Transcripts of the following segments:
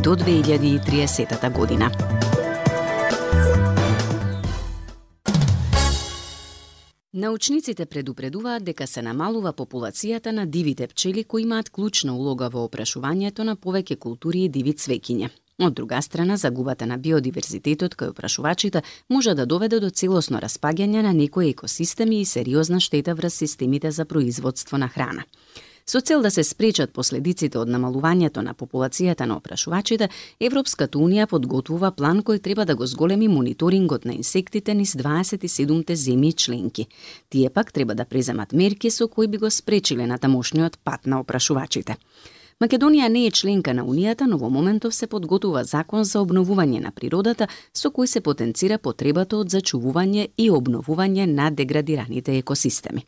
до 2030 година. Научниците предупредуваат дека се намалува популацијата на дивите пчели кои имаат клучна улога во опрашувањето на повеќе култури и диви цвеќиња. Од друга страна, загубата на биодиверзитетот кај опрашувачите може да доведе до целосно распаѓање на некои екосистеми и сериозна штета врз системите за производство на храна. Со цел да се спречат последиците од намалувањето на популацијата на опрашувачите, Европската Унија подготвува план кој треба да го зголеми мониторингот на инсектите низ 27-те земји членки. Тие пак треба да преземат мерки со кои би го спречиле натамошниот пат на опрашувачите. Македонија не е членка на Унијата, но во моментов се подготвува закон за обновување на природата со кој се потенцира потребата од зачувување и обновување на деградираните екосистеми.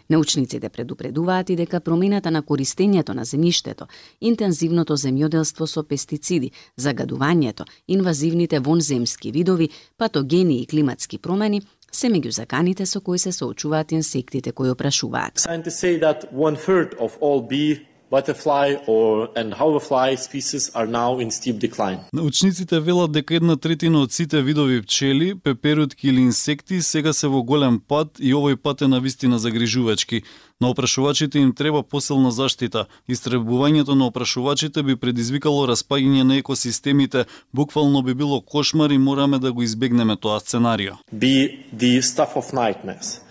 Научниците предупредуваат и дека промената на користењето на земјиштето, интензивното земјоделство со пестициди, загадувањето, инвазивните вонземски видови, патогени и климатски промени се меѓу заканите со кои се соочуваат инсектите кои опрашуваат. Scientists say that 1/3 of all bee, butterfly and hoverfly species are now in steep decline. Научниците велат дека 1/3 од сите видови пчели, пеперутки или инсекти сега се во голем пат и овој пат е навистина загрижувачки. На опрашувачите им треба посилна заштита. Истребувањето на опрашувачите би предизвикало распаѓање на екосистемите, буквално би било кошмар и мораме да го избегнеме тоа сценарио. Be the stuff of nightmares.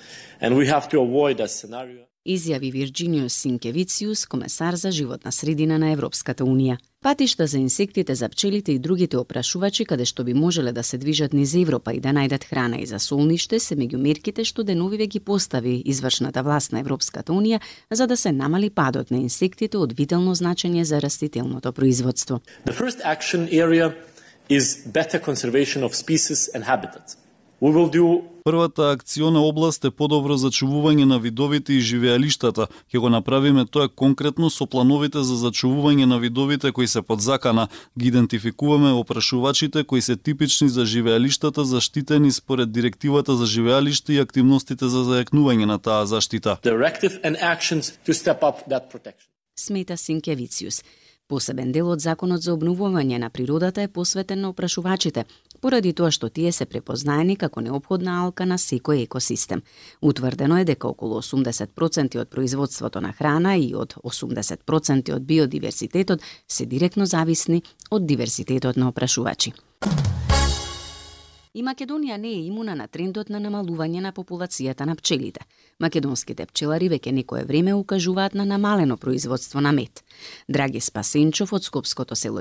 And we have to avoid that scenario. Изјави Вирџиниус Синкевициус, комесар за животна средина на Европската Унија. Патишта за инсектите, за пчелите и другите опрашувачи каде што би можеле да се движат низ Европа и да најдат храна и за солниште се меѓу мерките што деновиве ги постави извршната власт на Европската Унија за да се намали падот на инсектите од витално значење за растителното производство. The first action area is better conservation of species and habitats. We will do Првата акциона област е подобро зачувување на видовите и живеалиштата. Ќе го направиме тоа конкретно со плановите за зачувување на видовите кои се под закана. Ги идентификуваме опрашувачите кои се типични за живеалиштата, заштитени според директивата за живеалиште и активностите за зајакнување на таа заштита. Directive and actions to step up that protection. Смета Синкевициус. Посебен дел од законот за обновување на природата е посветен на опрашувачите, поради тоа што тие се препознаени како неопходна алка на секој екосистем. Утврдено е дека околу 80% од производството на храна и од 80% од биодиверзитетот се директно зависни од диверзитетот на опрашувачи. И Македонија не е имуна на трендот на намалување на популацијата на пчелите. Македонските пчелари веќе некое време укажуваат на намалено производство на мед. Драги Спасенчов од скопското село